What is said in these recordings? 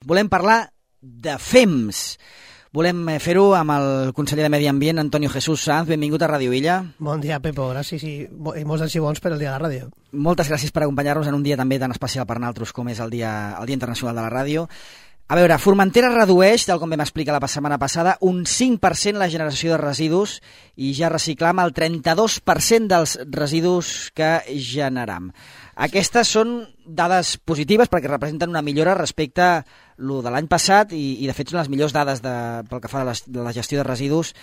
Volem parlar de FEMS. Volem fer-ho amb el conseller de Medi Ambient, Antonio Jesús Sanz. Benvingut a Ràdio Illa. Bon dia, Pepo. Gràcies i molts anys i bons per el dia de la ràdio. Moltes gràcies per acompanyar-nos en un dia també tan especial per nosaltres com és el Dia Internacional de la Ràdio. A veure, Formentera redueix, tal com vam explicar la setmana passada, un 5% la generació de residus i ja reciclam el 32% dels residus que generam. Aquestes són dades positives perquè representen una millora respecte a lo de l'any passat i de fet són les millors dades pel que fa a la gestió de residus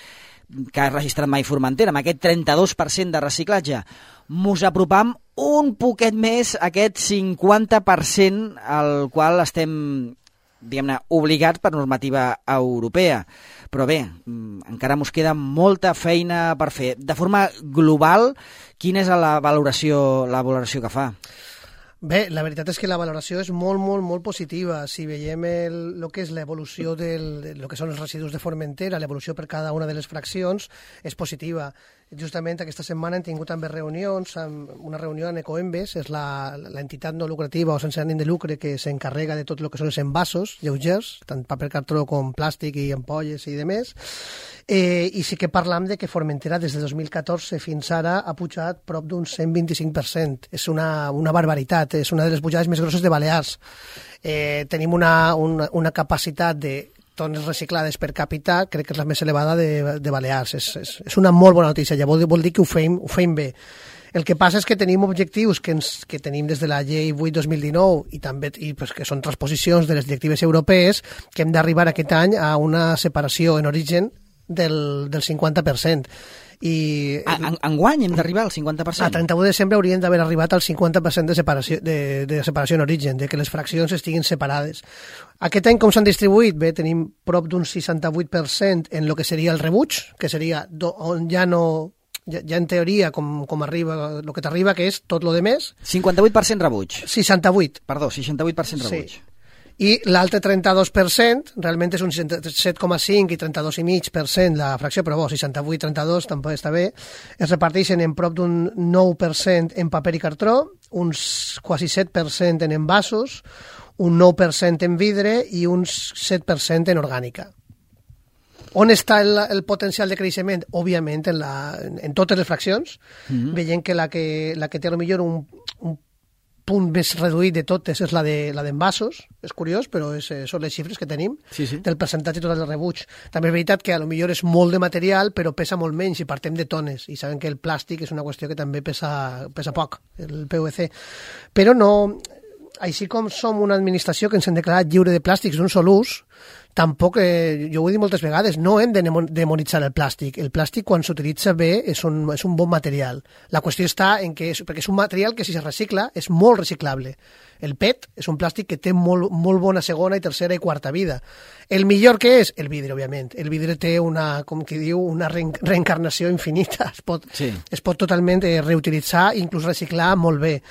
que ha registrat mai Formentera, amb aquest 32% de reciclatge. Mos apropam un poquet més a aquest 50% al qual estem, diguem-ne, obligats per normativa europea. Però bé, encara mos queda molta feina per fer. De forma global, quina és la valoració que fa? Bé, la veritat és que la valoració és molt positiva. Si veiem el que és l'evolució del que són els residus de Formentera, l'evolució per cada una de les fraccions, és positiva. Justament aquesta setmana hem tingut també reunions, una reunió en Ecoembes, és l'entitat no lucrativa o sense ànim de lucre que s'encarrega de tot el que són els envasos lleugers, tant paper cartró com plàstic i ampolles i demés. I sí que parlam de que Formentera des de 2014 fins ara ha pujat prop d'un 125%. És una barbaritat, és una de les pujades més grosses de Balears. Tenim una capacitat de tones reciclades per càpita, crec que és la més elevada de Balears. És una molt bona notícia, ja vol dir que ho fem bé. El que passa és que tenim objectius que tenim des de la llei 8-2019 i també que són transposicions de les directives europees, que hem d'arribar aquest any a una separació en origen del 50%. Enguany hem d'arribar al 50%? A 31 de desembre hauríem d'haver arribat al 50% de separació en origen, de que les fraccions estiguin separades. Aquest any com s'han distribuït? Bé, tenim prop d'un 68% en el que seria el rebuig, que seria on ja en teoria com arriba, el que t'arriba, que és tot lo de més. 58% rebuig. 68. Perdó, 68% rebuig. Sí. I l'altre 32%, realment és un 7,5 i 32,5% la fracció, però bo, 68-32 tampoc està bé, es reparteixen en prop d'un 9% en paper i cartró, uns quasi 7% en envasos, un 9% en vidre i uns 7% en orgànica. On està el potencial de creixement? Òbviament en totes les fraccions, veient que la que té potser un punt més reduït de totes és la d'envasos, és curiós, però són les xifres que tenim, del percentatge total de rebuig. També és veritat que potser és molt de material, però pesa molt menys i partem de tones, i sabem que el plàstic és una qüestió que també pesa poc, el PVC. Però no, així com som una administració que ens hem declarat lliure de plàstics d'un sol ús, tampoc, jo ho he dit moltes vegades, no hem de demonitzar el plàstic. El plàstic, quan s'utilitza bé, és un bon material. La qüestió està en que perquè és un material que, si es recicla, és molt reciclable. El PET és un plàstic que té molt bona segona i tercera i quarta vida. El millor que és? El vidre, òbviament. El vidre té una reencarnació infinita. Es pot totalment reutilitzar i inclús reciclar molt bé.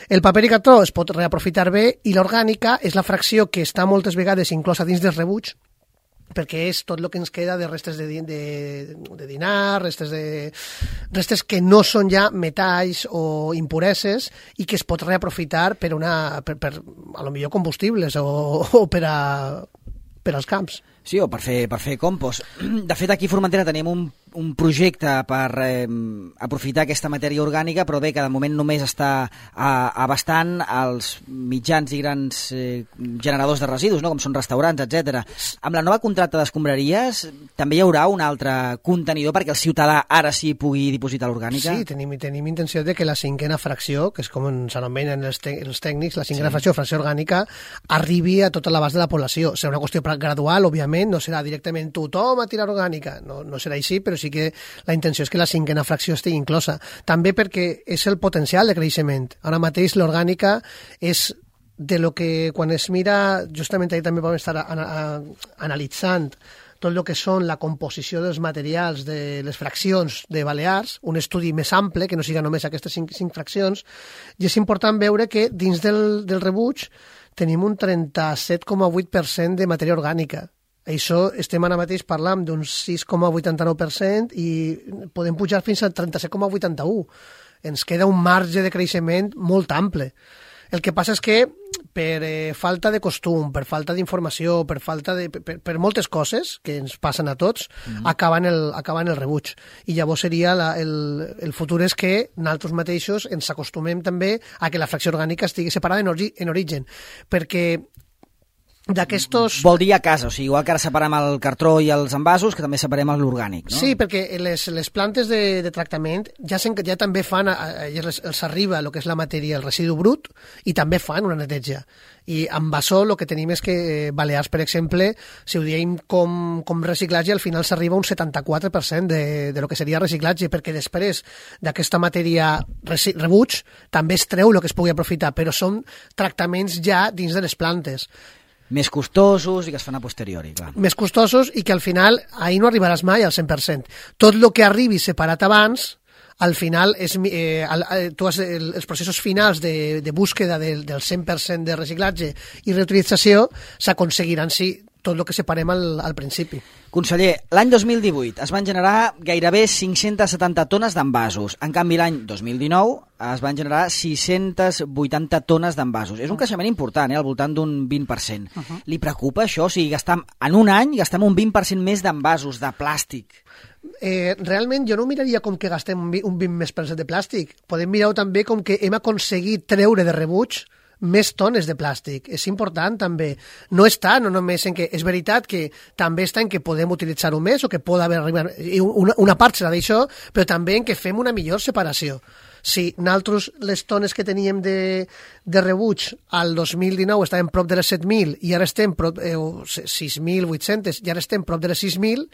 El paper i cartró es pot reaprofitar bé i l'orgànica és la fracció que està moltes vegades inclosa dins del rebuig, perquè és tot el que ens queda de restes de dinar, restes que no són ja metalls o impureses i que es pot reaprofitar per a lo millor combustibles o per als camps. Sí, o per fer compost. De fet, aquí a Formentera tenim un projecte per aprofitar aquesta matèria orgànica, però bé, que de moment només està abastant els mitjans i grans generadors de residus, no? Com són restaurants, etc. Amb la nova contracta d'escombraries també hi haurà un altre contenidor perquè el ciutadà ara sí pugui dipositar l'orgànica? Sí, tenim intenció de que la cinquena fracció, que és com s'anomenen els tècnics, la cinquena fracció orgànica, arribi a tota l'abast de la població. Serà una qüestió gradual, òbviament, no serà directament tothom a tirar orgànica, no serà així, però sí que la intenció és que la cinquena fracció estigui inclosa. També perquè és el potencial de creixement. Ara mateix l'orgànica és de lo que quan es mira, justament ahir també vam estar analitzant tot el que són la composició dels materials de les fraccions de Balears, un estudi més ample, que no siga només aquestes cinc fraccions, i és important veure que dins del rebuig tenim un 37,8% de matèria orgànica. Això estem ara mateix parlant d'un 6,89% i podem pujar fins al 37,81%. Ens queda un marge de creixement molt ample. El que passa és que per falta de costum, per falta d'informació, per moltes coses que ens passen a tots, acaben el rebuig. I llavors seria el futur és que nosaltres mateixos ens acostumem també a que la fracció orgànica estigui separada en origen, perquè d'aquestos... Vol dir a casa, o sigui, igual que ara separem el cartró i els envasos, que també separem l'orgànic, no? Sí, perquè les plantes de tractament ja també fan, els arriba el que és la matèria, el residu brut, i també fan una neteja. I amb Basó el que tenim és que Balears, per exemple, si ho diem com reciclatge, al final s'arriba a un 74% de lo que seria reciclatge, perquè després d'aquesta matèria rebuig també es treu el que es pugui aprofitar, però són tractaments ja dins de les plantes. Més costosos i que es fan a posteriori, clar. Més costosos i que al final ahir no arribaràs mai al 100%. Tot el que arribi separat abans, al final, els processos finals de búsqueda del 100% de reciclatge i reutilització s'aconseguiran si tot el que separem al principi. Conseller, l'any 2018 es van generar gairebé 570 tones d'envasos. En canvi, l'any 2019 es van generar 680 tones d'envasos. És un creixement important, al voltant d'un 20%. Li preocupa això? O sigui, en un any gastem un 20% més d'envasos, de plàstic. Realment jo no miraria com que gastem un 20% de plàstic. Podem mirar-ho també com que hem aconseguit treure de rebuig més tones de plàstic. És important també. No està no només en que... És veritat que també està en que podem utilitzar-ho més o que pot haver arribat... Una part serà d'això, però també en que fem una millor separació. Si nosaltres les tones que teníem de rebuig al 2019 estàvem prop de les 7.000 i ara estem prop 6.800 i ara estem prop de les 6.000,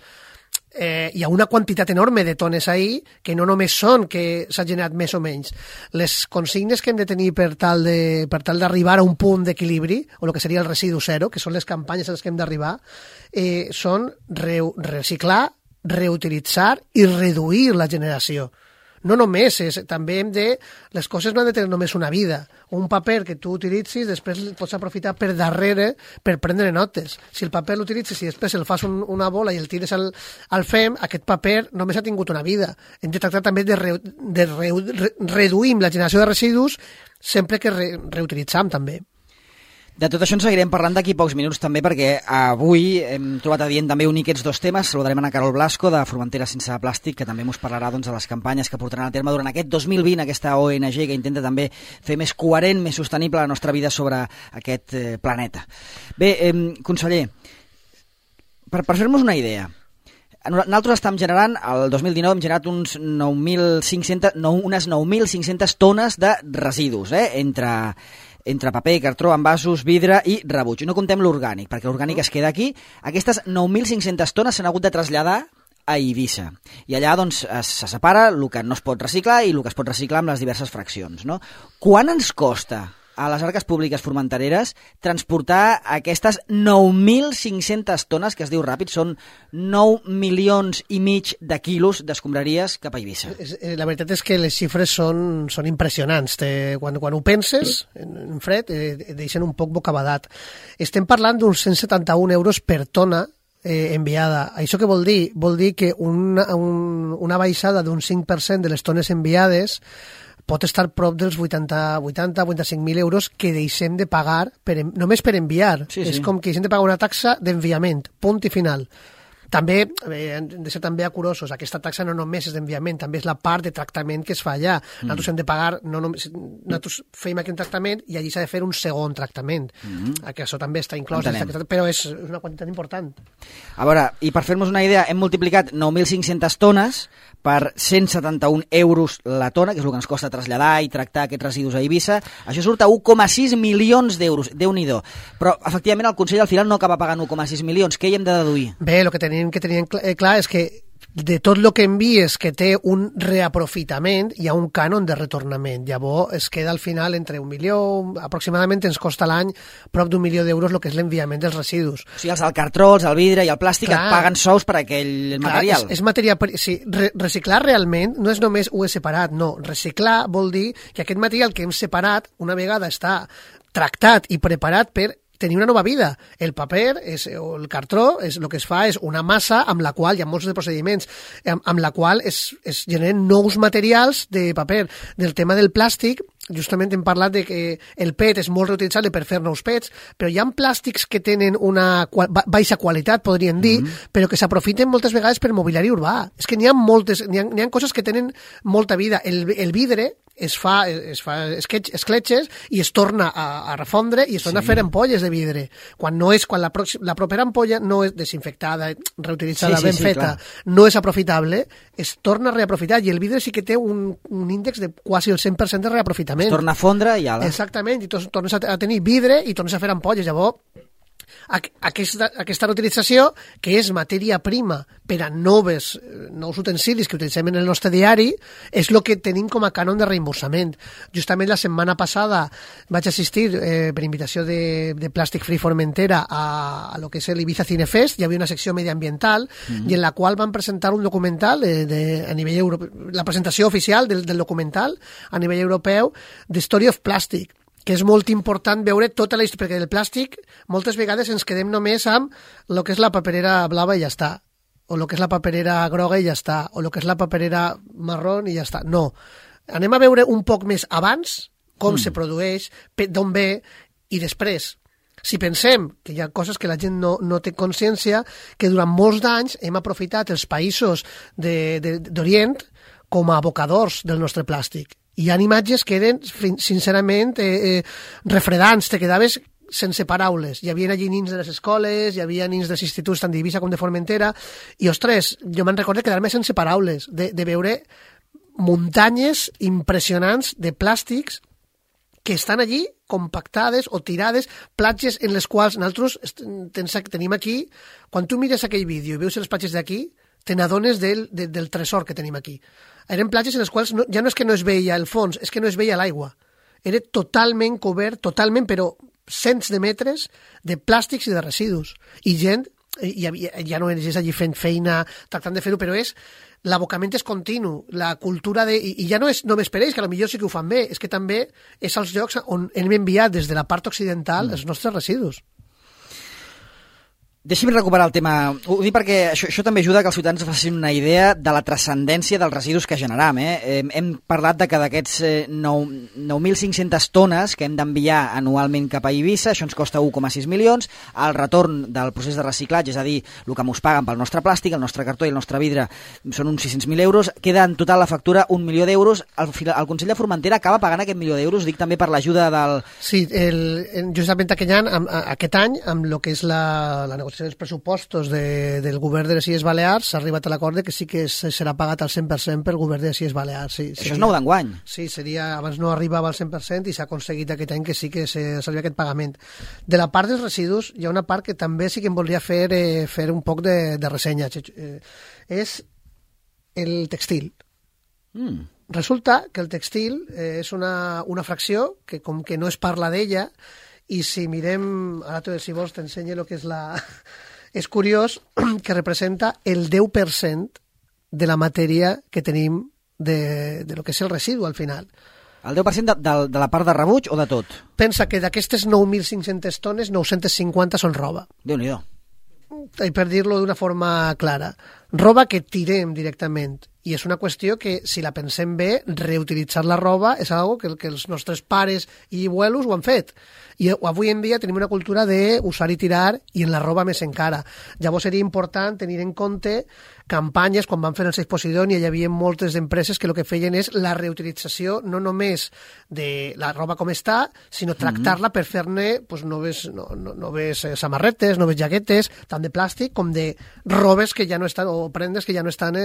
hi ha una quantitat enorme de tones ahí que no només són que s'ha generat més o menys. Les consignes que hem de tenir per tal d'arribar a un punt d'equilibri, o el que seria el residu zero, que són les campanyes a les que hem d'arribar, són reciclar, reutilitzar i reduir la generació. No només, també les coses no han de tenir només una vida. Un paper que tu utilitzis, després el pots aprofitar per darrere per prendre notes. Si el paper l'utilitzes i després el fas una bola i el tires al fem, aquest paper només ha tingut una vida. Hem de tractar també de reduir la generació de residus sempre que reutilitzam també. De tot això en seguirem parlant d'aquí pocs minuts també, perquè avui hem trobat adient també unir aquests dos temes. Saludarem a Carol Blasco de Formentera Sense Plàstic, que també ens parlarà de les campanyes que portaran a terme durant aquest 2020, aquesta ONG que intenta també fer més coherent, més sostenible la nostra vida sobre aquest planeta. Bé, conseller, per fer-nos una idea, nosaltres estem generant, el 2019 hem generat unes 9.500 tones de residus, entre paper, cartró, envasos, vidre i rebuig. No comptem l'orgànic, perquè l'orgànic es queda aquí. Aquestes 9.500 tones s'han hagut de traslladar a Eivissa. I allà doncs, se separa el que no es pot reciclar i el que es pot reciclar amb les diverses fraccions. No? Quant ens costa a les arques públiques formentereres transportar aquestes 9.500 tones, que es diu ràpid, són 9,5 milions de quilos d'escombraries cap a Eivissa? La veritat és que les xifres són impressionants. Quan ho penses, en fred, et deixen un poc bocabadat. Estem parlant d'uns 171 euros per tona enviada. Això què vol dir? Vol dir que una baixada d'un 5% de les tones enviades pot estar prop dels 85.000 euros que deixem de pagar només per enviar. Sí. És com que deixem de pagar una taxa d'enviament, punt i final. També hem de ser també curosos. Aquesta taxa no només és d'enviament, també és la part de tractament que es fa allà. Nosaltres hem de pagar, nosaltres fem aquí un tractament i allí s'ha de fer un segon tractament. Que això també està inclòs, però és una quantitat important. A veure, i per fer-nos una idea, hem multiplicat 9.500 tones per 171 euros la tona, que és el que ens costa traslladar i tractar aquests residus a Eivissa. Això surt a 1,6 milions d'euros. Déu-n'hi-do. Però, efectivament, el Consell al final no acaba pagant 1,6 milions. Què hi hem de deduir? Bé, el que tenim clar és que de tot el que envies que té un reaprofitament, hi ha un cànon de retornament. Llavors es queda al final entre 1 milió, aproximadament ens costa l'any prop d'1 milió d'euros el que és l'enviament dels residus. O sigui, els del cartró, els del vidre i el plàstic et paguen sous per aquell material. És material. Sí, reciclar realment no és només ho he separat, no. Reciclar vol dir que aquest material que hem separat una vegada està tractat i preparat per tenir una nova vida. El paper o el cartró el que es fa és una massa amb la qual hi ha molts de procediments, amb la qual es generen nous materials de paper. Del tema del plàstic, justament hem parlat de que el PET és molt reutilitzable per fer nous PETs, però hi ha plàstics que tenen una baixa qualitat, podríem dir, però que s'aprofiten moltes vegades per mobiliari urbà. És que n'hi ha coses que tenen molta vida. El vidre es fa escletxes i es torna a refondre i es torna a fer ampolles de vidre. Quan la propera ampolla no és desinfectada, reutilitzada, ben feta, no és aprofitable, es torna a reaprofitar, i el vidre sí que té un índex de quasi el 100% de reaprofitament. Es torna a fondre i ala. Exactament, i tornes a tenir vidre i tornes a fer ampolles. Llavors, aquesta reutilització, que és matèria prima per a nous utensilis que utilitzem en el nostre diari, és el que tenim com a cànon de reemborsament. Justament la setmana passada vaig assistir, per invitació de Plàstic Free Formentera, a lo que és l'Ibiza Cinefest. Hi havia una secció mediambiental i en la qual van presentar un documental a nivell europeu, la presentació oficial del documental a nivell europeu, The Story of Plastic, que és molt important veure tota la història, perquè del plàstic moltes vegades ens quedem només amb el que és la paperera blava i ja està, o el que és la paperera groga i ja està, o el que és la paperera marrón i ja està. No, anem a veure un poc més abans com se produeix, d'on ve, i després. Si pensem que hi ha coses que la gent no té consciència, que durant molts d'anys hem aprofitat els països d'Orient com a abocadors del nostre plàstic. Hi ha imatges que eren, sincerament, refredants, te quedaves sense paraules. Hi havia allí nins de les escoles, hi havia nins dels instituts tant d'Eivissa com de Formentera, i, ostres, jo me'n recordo quedar-me sense paraules, de veure muntanyes impressionants de plàstics que estan allí compactades o tirades, platges en les quals nosaltres tenim aquí. Quan tu mires aquell vídeo i veus les platges d'aquí, te n'adones del tresor que tenim aquí. Eren platges en les quals ja no és que no es veia el fons, és que no es veia l'aigua. Era totalment cobert, però cents de metres de plàstics i de residus. I gent, ja no és allí fent feina, tractant de fer-ho, però l'abocament és continu, la cultura i ja no és només per ells, que potser sí que ho fan bé, és que també és als llocs on hem enviat des de la part occidental els nostres residus. Deixi'm recuperar el tema. Ho dic perquè això també ajuda que els ciutadans facin una idea de la transcendència dels residus que generam. Hem parlat de que d'aquests 9.500 tones que hem d'enviar anualment cap a Eivissa, això ens costa 1,6 milions, el retorn del procés de reciclatge, és a dir, el que ens paguen pel nostre plàstic, el nostre cartó i el nostre vidre, són uns 600.000 euros, queda en total la factura 1 milió d'euros. El Consell de Formentera acaba pagant aquest milió d'euros, dic també per l'ajuda del... Sí, justament aquest any, amb el que és la negociació dels pressupostos del govern de les Illes Balears, s'ha arribat a l'acord que sí que serà pagat al 100% pel govern de les Illes Balears. Sí, això és nou d'enguany. Sí, abans no arribava al 100% i s'ha aconseguit aquest any que sí que s'arriba aquest pagament. De la part dels residus, hi ha una part que també sí que em voldria fer un poc de ressenya. És el textil. Resulta que el textil és una fracció que com que no es parla d'ella, i si mirem, ara si vols t'ensenyo el que és és curiós que representa el 10% de la matèria que tenim de lo que és el residu al final. El 10% de la part de rebuig o de tot? Pensa que d'aquestes 9.500 tones, 950 són roba. Déu-n'hi-do. I per dir-lo d'una forma clara, roba que tirem directament. I és una qüestió que, si la pensem bé, reutilitzar la roba és algo que els nostres pares i abuelos ho han fet. I avui en dia tenim una cultura d'usar i tirar, i en la roba més encara. Llavors seria important tenir en compte campanyes, quan van fer el Save Posidònia hi havia moltes empreses que el que feien és la reutilització no només de la roba com està, sinó tractar-la per fer-ne noves samarretes, noves jaquetes, tant de plàstic com de robes que ja no estan, o prendes que ja no estan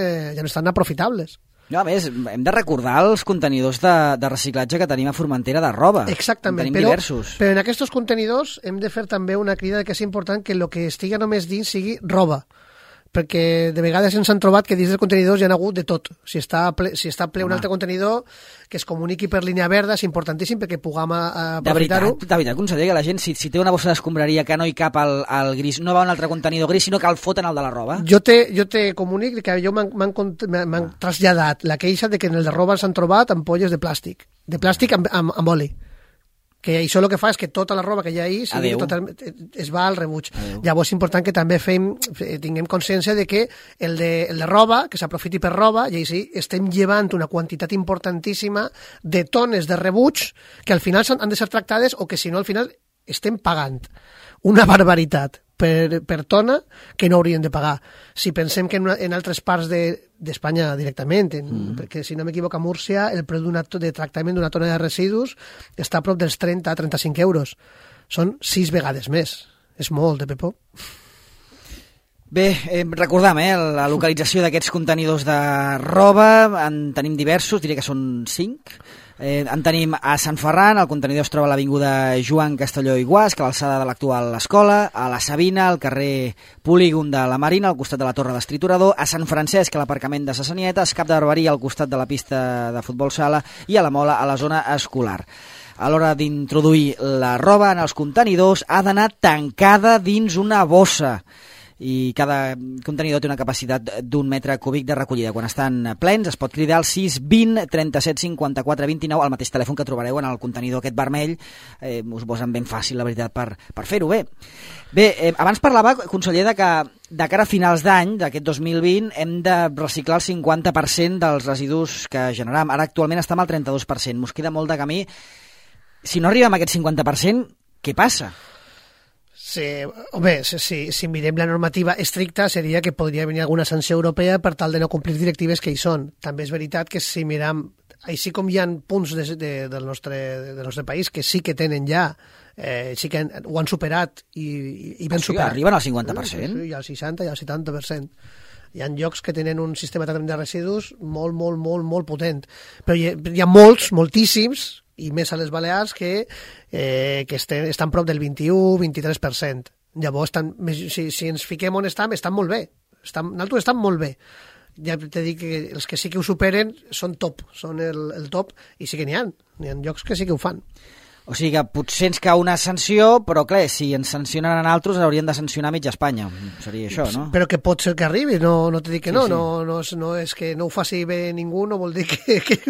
aprofitables. No, a més, hem de recordar els contenidors de reciclatge que tenim a Formentera de roba. Exactament, tenim diversos. Però en aquests contenidors hem de fer també una crida que és important que el que estigui només dins sigui roba, perquè de vegades ens han trobat que dins dels contenidors hi ha hagut de tot. Si està ple un altre contenidor, que es comuniqui per línia verda, és importantíssim perquè puguem aprofitar-ho. De veritat, conseller, que la gent, si té una bossa d'escombraria que no hi cap al gris, no va a un altre contenidor gris, sinó que el foten al de la roba? Jo te comunic que jo m'han traslladat la queixa de que en el de roba s'han trobat ampolles de plàstic amb oli. que això el que fa és que tota la roba que hi ha ahí es va al rebuig. Llavors és important que també tinguem consciència de que el de roba, que s'aprofiti per roba, i així estem llevant una quantitat importantíssima de tones de rebuig que al final han de ser tractades o que si no al final estem pagant una barbaritat per tona que no haurien de pagar. Si pensem que en altres parts d'Espanya directament, perquè si no m'equivoco a Múrcia, el preu de tractament d'una tona de residus està a prop dels 30 a 35 euros. Són 6 vegades més. És molt, Pepó. Bé, recordam, la localització d'aquests contenidors de roba, en tenim diversos, diria que són 5. En tenim a Sant Ferran, el contenidor es troba a l'avinguda Joan Castelló i Guasc, a l'alçada de l'actual escola, a la Sabina, al carrer Polígon de la Marina, al costat de la Torre d'Estriturador, a Sant Francesc, a l'aparcament de Sassanieta, a Escap de Barberia, al costat de la pista de futbol sala, i a la Mola, a la zona escolar. A l'hora d'introduir la roba en els contenidors ha d'anar tancada dins una bossa, i cada contenidor té una capacitat d'1 metre cúbic de recollida. Quan estan plens es pot cridar al 620 37 54 29, al mateix telèfon que trobareu en el contenidor aquest vermell. Us ho posen ben fàcil, la veritat, per fer-ho bé. Bé, abans parlava, conseller, de que de cara a finals d'any, d'aquest 2020, hem de reciclar el 50% dels residus que generam. Ara actualment estem al 32%. Mos queda molt de camí. Si no arribem a aquest 50%, què passa? Sí, home, si mirem la normativa estricta seria que podria venir alguna sanció europea per tal de no complir directives que hi són. També és veritat que si miram, així com hi ha punts del nostre país que sí que tenen ja, sí que ho han superat i ben superat. Arriben al 50%? Sí, al 60 i al 70%. Hi ha llocs que tenen un sistema de tractament de residus molt potent. Però hi ha moltíssims, i més a les Balears, que estan prop del 21-23%. Llavors, si ens fiquem on estan molt bé. Nosaltres estem molt bé. Ja t'he dit que els que sí que ho superen són top, són el top, i sí que n'hi ha llocs que sí que ho fan. O sigui que potser ens cau una sanció, però clar, si ens sancionen a altres haurien de sancionar mitja Espanya. Seria això, no? Però que pot ser que arribi, no t'he dit que no. Sí. No és que no ho faci bé ningú, no vol dir que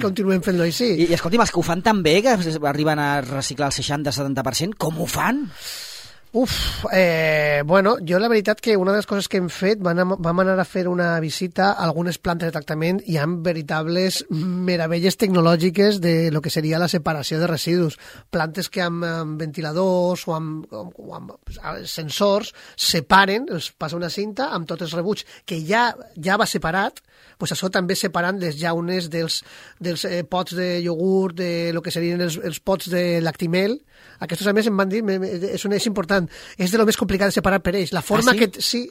continuem fent-lo així. I escolti'm, els que ho fan tan bé, que arriben a reciclar el 60-70%, com ho fan? Bueno, jo la veritat que una de les coses que hem fet, vam anar a fer una visita a algunes plantes de tractament i hi ha veritables meravelles tecnològiques de lo que seria la separació de residus. Plantes que amb ventiladors o amb sensors separen, els passa una cinta amb tots els rebuig que ja va separat, doncs això també separant les llaunes dels pots de iogurt, de lo que serien els pots de lactimel. Aquests a més em van dir, és important, és de lo més complicat de separar per ells. La forma sí? que... Sí,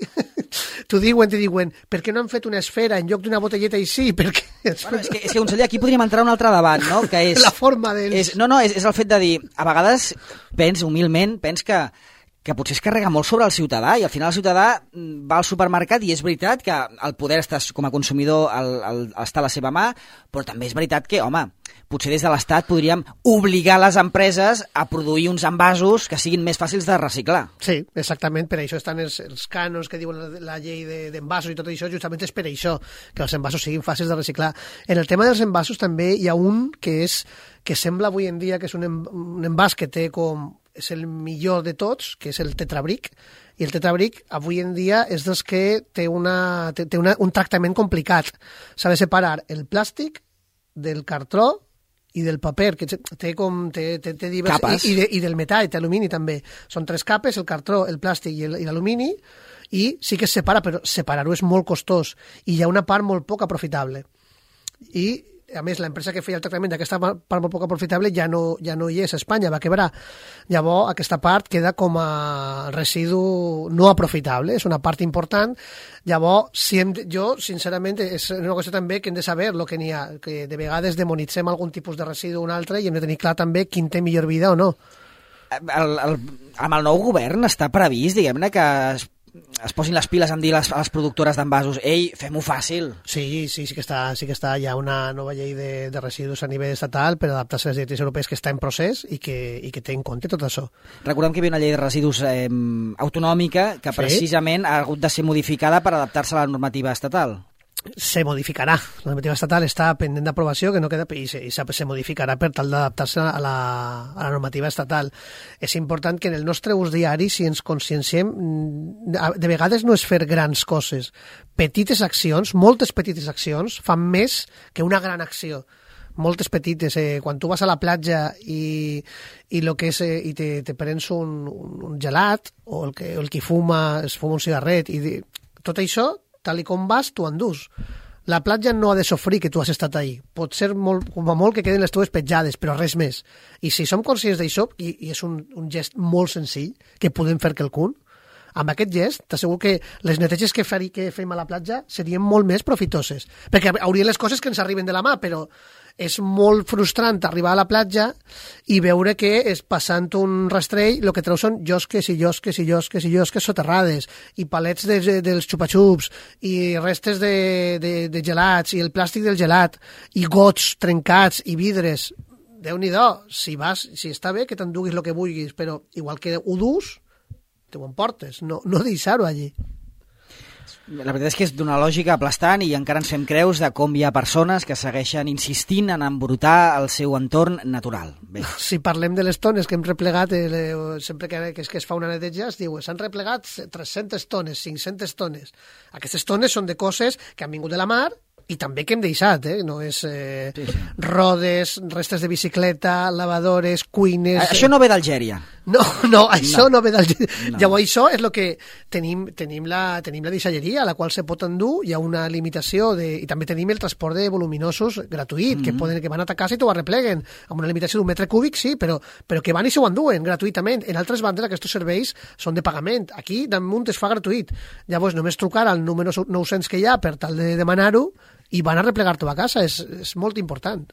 t'ho diuen, per què no han fet una esfera en lloc d'una botelleta així? Perquè... Bueno, és que conseller, aquí podríem entrar un altre debat, no? Que és... La forma d'ells. És el fet de dir, a vegades humilment, que potser es carrega molt sobre el ciutadà i al final el ciutadà va al supermercat i és veritat que el poder està, com a consumidor està a la seva mà, però també és veritat que, home, potser des de l'Estat podríem obligar les empreses a produir uns envasos que siguin més fàcils de reciclar. Sí, exactament, per això estan els cànons que diuen la llei d'envasos i tot això, justament és per això, que els envasos siguin fàcils de reciclar. En el tema dels envasos també hi ha un que sembla avui en dia que és un envàs que té és el millor de tots, que és el tetrabric, i el tetrabric avui en dia és dels que té un tractament complicat. S'ha de separar el plàstic del cartró i del paper, que té capes. I del metall, té alumini també. Són 3 capes, el cartró, el plàstic i l'alumini, i sí que es separa, però separar-ho és molt costós, i hi ha una part molt poc aprofitable. I a més, l'empresa que feia el tractament d'aquesta part molt poc aprofitable ja no hi és a Espanya, va quebrar. Llavors, aquesta part queda com a residu no aprofitable, és una part important. Llavors, jo, sincerament, és una qüestió també que hem de saber el que n'hi ha, que de vegades demonitzem algun tipus de residu o un altre i hem de tenir clar també quin té millor vida o no. Amb el nou govern està previst, diguem-ne, que es posin les piles en dir a les productores d'envasos, ei, fem-ho fàcil. Sí que està, hi ha una nova llei de residus a nivell estatal per adaptar-se a les directives europees que està en procés i que té en compte tot això. Recordem que hi havia una llei de residus autonòmica que precisament ha hagut de ser modificada per adaptar-se a la normativa estatal. se modificarà. La normativa estatal està pendent d'aprovació, que no queda, i se modificarà per tal d'adaptar-se a la normativa estatal. És important que en el nostre ús diari, si ens conscienciem, de vegades no és fer grans coses. Petites accions, moltes petites accions, fan més que una gran acció. Moltes petites. Quan tu vas a la platja i lo que és, i te prens un gelat, o el que fuma, es fuma un cigarret, i tot això, tal i com vas, tu endús. La platja no ha de sofrir que tu has estat ahí. Pot ser com a molt que queden les teves petjades, però res més. I si som conscients d'això, i és un gest molt senzill, que podem fer quelcun, amb aquest gest, t'asseguro que les neteges que fem a la platja serien molt més profitoses. Perquè haurien les coses que ens arriben de la mà, però és molt frustrant arribar a la platja i veure que és passant un rastrell, el que treu són llosques i llosques i llosques i llosques soterrades, i palets dels xupa-xups, i restes de gelats, i el plàstic del gelat, i gots trencats, i vidres. Déu-n'hi-do, si està bé que t'enduguis el que vulguis, però igual que ho dus, te ho emportes, no deixar-ho allí. La veritat és que és d'una lògica aplastant i encara ens fem creus de com hi ha persones que segueixen insistint en embrutar el seu entorn natural. Bé. Si parlem de les tones que hem replegat, sempre que es fa una neteja es diu s'han replegat 300 tones, 500 tones. Aquestes tones són de coses que han vingut de la mar i també que hem deixat, no és rodes, restes de bicicleta, lavadores, cuines... Això no ve d'Algèria. No, això no ve d'Algèria. No. Llavors això és el que tenim la deixalleria, a la qual se pot endur, hi ha una limitació, i també tenim el transport de voluminosos gratuït, que van a ta casa i t'ho arrepleguen, amb una limitació d'un metre cúbic, sí, però que van i s'ho enduen gratuïtament. En altres bandes aquests serveis són de pagament. Aquí damunt es fa gratuït. Llavors només trucar al número 900 que hi ha per tal de demanar-ho i van a replegar-t'ho a casa. És molt important.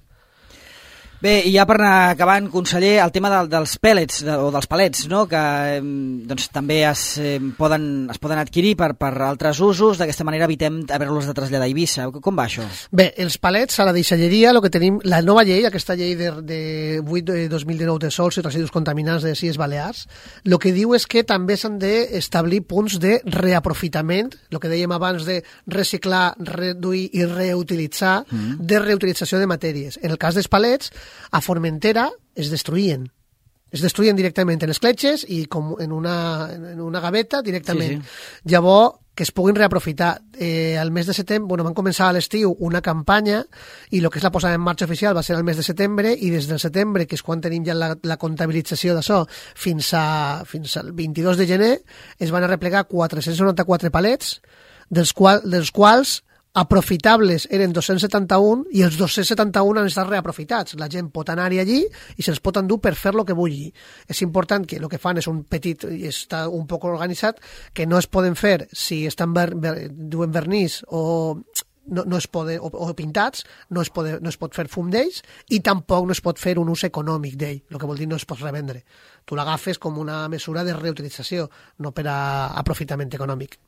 Bé, i ja per anar acabant, conseller, el tema dels pèl·lets o dels palets, no? Que doncs, també es poden adquirir per altres usos, d'aquesta manera evitem haver-los de traslladar a Eivissa. Com va això? Bé, els palets a la deixalleria, el que tenim, la nova llei, aquesta llei de 8 de 2019 de sols i residus contaminants de les Illes Balears, el que diu és que també s'han d'establir punts de reaprofitament, el que dèiem abans de reciclar, reduir i reutilitzar, de reutilització de matèries. En el cas dels palets, a Formentera es destruïen directament en escletxes i com en una gaveta directament. Sí. Llavors, que es puguin reaprofitar. Al mes de setembre, van començar a l'estiu una campanya i el que és la posada en marxa oficial va ser el mes de setembre i des del setembre, que és quan tenim ja la comptabilització d'això, fins al 22 de gener, es van arreplegar 494 palets, dels quals aprofitables eren 271 i els 271 han estat reaprofitats. La gent pot anar-hi allí i se'ls pot endur per fer lo que vulgui. És important que el que fan és un petit i està un poc organitzat, que no es poden fer si estan duen vernís o no es poden, o pintats, no es pot fer fum d'ells i tampoc no es pot fer un ús econòmic d'ell, el que vol dir no es pot revendre. Tu l'agafes com una mesura de reutilització, no per a aprofitament econòmic.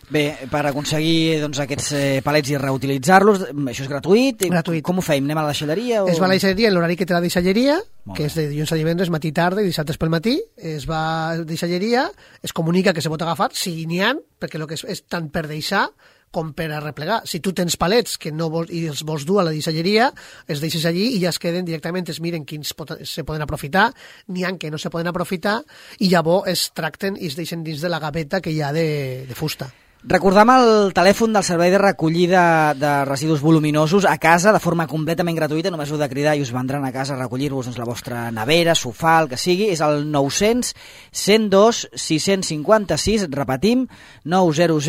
Bé, per aconseguir aquests palets i reutilitzar-los, això és gratuït? Gratuït. Com ho feim? Anem a la deixalleria? Es va a la deixalleria en l'horari que té la deixalleria, que és de dilluns a divendres, matí i tarda, i dissabtes pel matí. Es va a la deixalleria, es comunica que se pot agafar, si n'hi ha, perquè el que és tant per deixar com per a replegar. Si tu tens palets que no vols, i els vols dur a la deixalleria, els deixes allí i ja es queden directament, es miren quins se poden aprofitar, n'hi ha que no se poden aprofitar, i llavors es tracten i es deixen dins de la gaveta que hi ha de fusta. Recordam el telèfon del servei de recollida de residus voluminosos a casa de forma completament gratuïta, només heu de cridar i us vendran a casa a recollir-vos la vostra nevera, sofà, el que sigui, és el 900 102 656, repetim, 900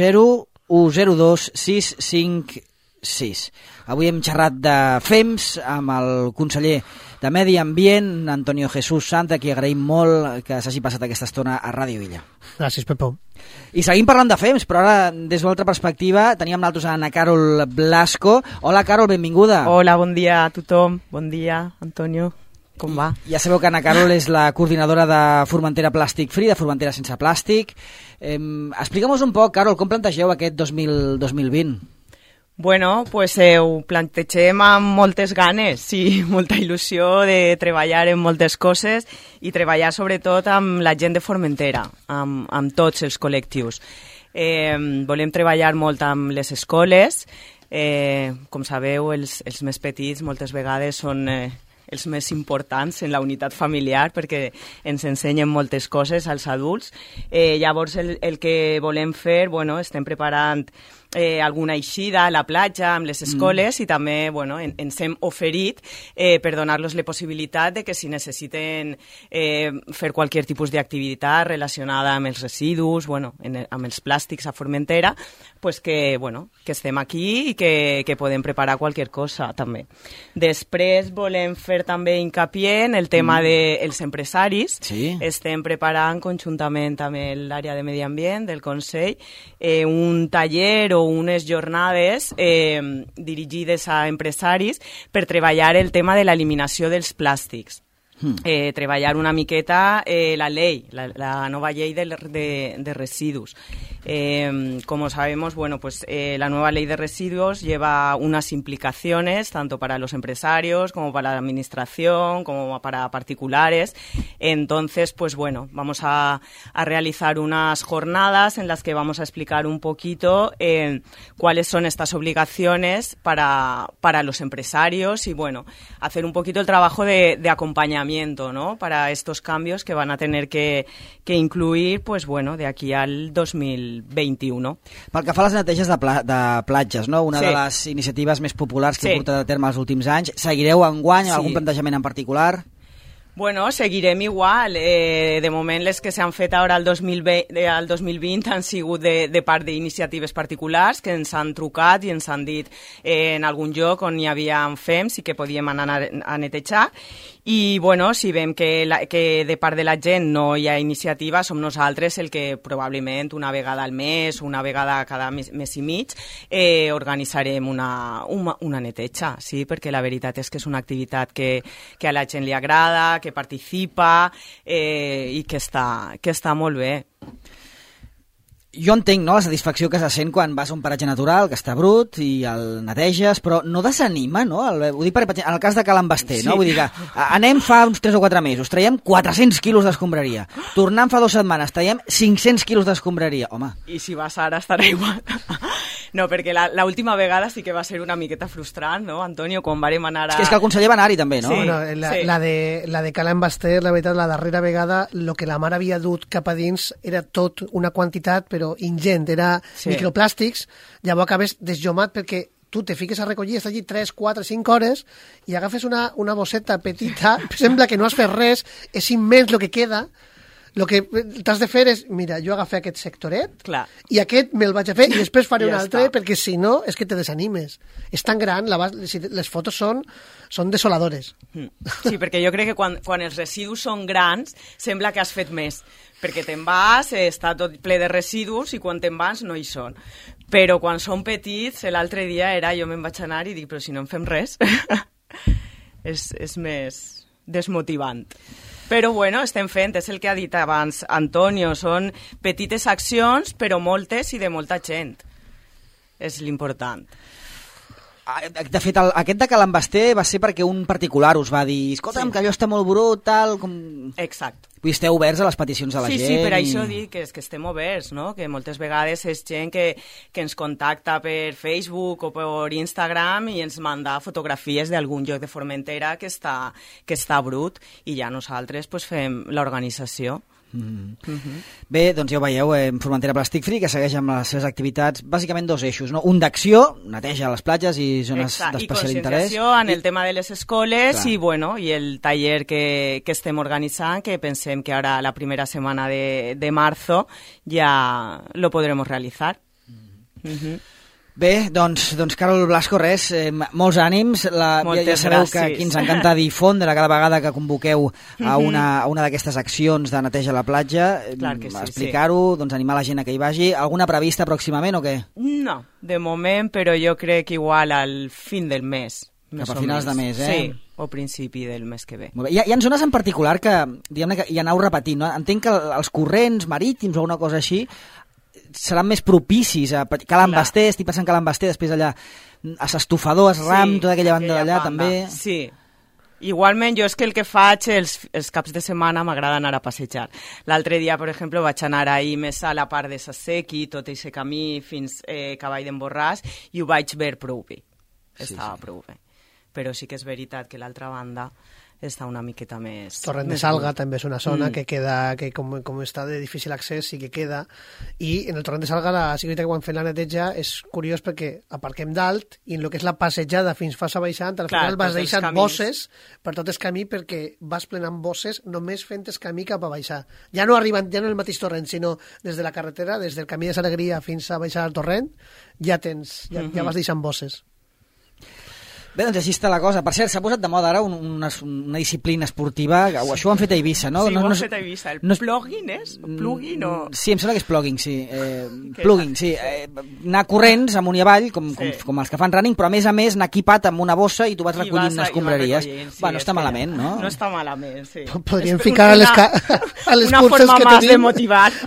102 656. Avui hem xerrat de FEMS amb el conseller de Medi Ambient, Antonio Jesús Santa, qui agraïm molt que s'hagi passat aquesta estona a Ràdio Illa. Gràcies, Pepó. I seguim parlant de FEMS, però ara, des d'una altra perspectiva, teníem nosaltres a Ana Carol Blasco. Hola, Carol, benvinguda. Hola, bon dia a tothom. Bon dia, Antonio. Com va? Ja sabeu que Ana Carol és la coordinadora de Formentera Plàstic Free, de Formentera Sense Plàstic. Explica'm-nos un poc, Carol, com plantegeu aquest 2020? Bueno, pues ho plantegem amb moltes ganes, sí, molta il·lusió de treballar en moltes coses i treballar sobretot amb la gent de Formentera, amb tots els col·lectius. Volem treballar molt amb les escoles, Com sabeu, els més petits moltes vegades són els més importants en la unitat familiar perquè ens ensenyen moltes coses als adults. Llavors el que volem fer, estem preparant alguna eixida a la platja amb les escoles i també ens hem oferit per donar-los la possibilitat de que si necessiten fer qualsevol tipus d'activitat relacionada amb els residus, amb els plàstics a Formentera, pues que estem aquí i que podem preparar qualsevol cosa també. Després volem fer també hincapié en el tema dels empresaris. Sí. Estem preparant conjuntament amb l'àrea de Medi Ambient del Consell un taller o unes jornades dirigides a empresaris per treballar el tema de l'eliminació dels plàstics. Treballar una miqueta la ley, la nova llei de residus. Como sabemos, la nueva ley de residuos lleva unas implicaciones tanto para los empresarios como para la administración, como para particulares. Entonces, vamos a realizar unas jornadas en las que vamos a explicar un poquito cuáles son estas obligaciones para los empresarios y, hacer un poquito el trabajo de acompañamiento, ¿no?, para estos cambios que van a tener que incluir, de aquí al 2021. Pel que fa a les neteges de platges, no? Una de les iniciatives més populars que heu portat a terme els últims anys. Seguireu enguany algun plantejament en particular? Seguirem igual. De moment, les que s'han fet ara al 2020 han sigut de part d'iniciatives particulars que ens han trucat i ens han dit en algun lloc on hi havia fems i que podíem anar a netejar. I, si veiem que de part de la gent no hi ha iniciativa, som nosaltres el que probablement una vegada al mes, una vegada cada mes i mig, organitzarem una neteja, sí? Perquè la veritat és que és una activitat que a la gent li agrada, que participa i que està molt bé. Jo entenc, no?, la satisfacció que se sent quan vas a un paratge natural, que està brut, i el neteges, però no desanima, no? Ho dic en el cas de Cal Envester, no? Vull dir que anem fa uns 3 o 4 mesos, traiem 400 quilos d'escombraria. Tornant fa 2 setmanes, traiem 500 quilos d'escombraria. Home. I si vas ara estarà igual. No, perquè l'última vegada sí que va ser una miqueta frustrant, no, Antonio, quan vàrem anar a... És que el conseller va anar-hi també, no? Sí, la de Cal Envester, la veritat, la darrera vegada, el que la mare havia dut cap a dins era tot una quantitat, però ingent, era microplàstics, llavors acabes desjomat perquè tu te fiques a recollir, estàs allí 3, 4, 5 hores i agafes una bosseta petita, sembla que no has fet res, és immens el que queda. El que t'has de fer és, mira, jo agafé aquest sectoret i aquest me'l vaig a fer i després faré un altre, perquè si no és que te desanimes. És tan gran, les fotos són desoladores. Sí, perquè jo crec que quan els residus són grans sembla que has fet més, perquè te'n vas, està tot ple de residus i quan te'n vas no hi són. Però quan són petits, l'altre dia jo me'n vaig anar i dic, però si no en fem res, és més desmotivant. Però estem fent, és el que ha dit abans Antonio, són petites accions, però moltes i de molta gent. És l'important. De fet, aquest de Cal Envester va ser perquè un particular us va dir escolta'm, que allò està molt brut, tal... Exacte. Vull dir, esteu oberts a les peticions de la gent. Sí, per això dic que estem oberts, no? Que moltes vegades és gent que ens contacta per Facebook o per Instagram i ens manda fotografies d'algun lloc de Formentera que està brut i ja nosaltres fem l'organització. Bé, doncs ja ho veieu, Formentera Plastic Free, que segueix amb les seves activitats bàsicament 2 eixos, no? Un d'acció, neteja les platges i zones d'especial interès, i conscienciació en el tema de les escoles i el taller que estem organitzant, que pensem que ara la primera setmana de marzo ja lo podremos realizar. Bé, doncs Carol Blasco, res, molts ànims. Ja sabeu que aquí ens encanta difondre cada vegada que convoqueu a una d'aquestes accions de neteja a la platja, explicar-ho, doncs animar la gent a que hi vagi. Alguna prevista pròximament o què? No, de moment, però jo crec que igual al fin del mes. Cap a finals de mes, Sí, o principi del mes que ve. Molt bé. Hi ha zones en particular que, diguem-ne, que hi aneu repetint, no? Entenc que els corrents marítims o alguna cosa així seran més propicis a Cal Envester, estic pensant Cal Envester, després allà a s'Estufador, a Ram, tota aquella banda d'allà també. Sí, Igualment, jo és que el que faig els caps de setmana m'agrada anar a passejar. L'altre dia, per exemple, vaig anar ahir més a la part de Sassequi, tot aquest camí fins Cavall d'en Borràs, i ho vaig veure prou bé. Estava prou bé. Però sí que és veritat que l'altra banda està una miqueta més... Torrent de Salga també és una zona que queda, que com està de difícil accés sí que queda, i en el Torrent de Salga sí que quan fem la neteja és curiós perquè aparquem dalt i en el que és la passejada fins Fassa Baixant, al final vas deixant bosses per tot el camí perquè vas plenant bosses només fent el camí cap a baixar. Ja no arribant, ja no el mateix torrent, sinó des de la carretera, des del camí de Salegria fins a baixar al torrent, ja vas deixant bosses. Bé, doncs així està la cosa. Per cert, s'ha posat de moda ara una disciplina esportiva, això ho han fet a Eivissa, no? Sí, ho han fet a Eivissa. El plugin és? Plugin o...? Sí, em sembla que és plugging, sí. Plugging, sí. Anar corrents amunt i avall, com els que fan running, però a més anar equipat amb una bossa i tu vas recollint escombraries. No està malament, no? No està malament, sí. Podríem ficar a les curses que tenim...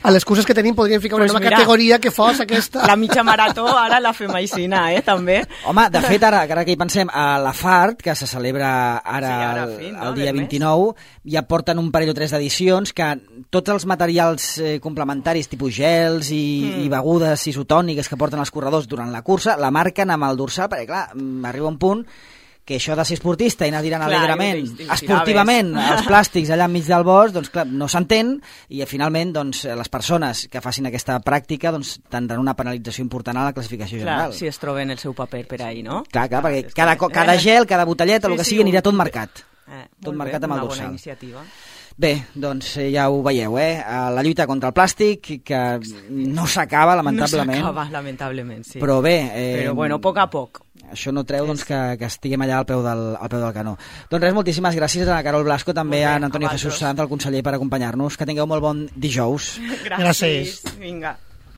A les curses que tenim podríem ficar una nova categoria que fos aquesta. La mitja marató ara la fem aixina, també. Home, de fet, ara que hi pensem, a la FART, que se celebra ara el dia 29, ja porten un parell o tres d'edicions que tots els materials complementaris, tipus gels i begudes isotòniques que porten els corredors durant la cursa, la marquen amb el dorsal, perquè clar, arriba un punt que això de ser esportista i anar tirant alegrement, esportivament, els plàstics allà enmig del bosc, doncs clar, no s'entén, i finalment doncs, les persones que facin aquesta pràctica doncs, tindran una penalització important a la classificació general. Clar, si es troben el seu paper per ahí, no? Clar, perquè cada gel, cada botelleta, el que sigui, anirà tot marcat. Tot marcat amb el dorsal. Una bona iniciativa. Bé, doncs ja ho veieu, la lluita contra el plàstic, que no s'acaba, lamentablement. No s'acaba, lamentablement, sí. Però bé... Però bueno, a poc a poc. Això no treu doncs, que estiguem allà al peu del canó. Doncs res, moltíssimes gràcies a Carol Blasco, també a Antonio Jesús Sant, el conseller, per acompanyar-nos. Que tingueu molt bon dijous. Gràcies. Vinga.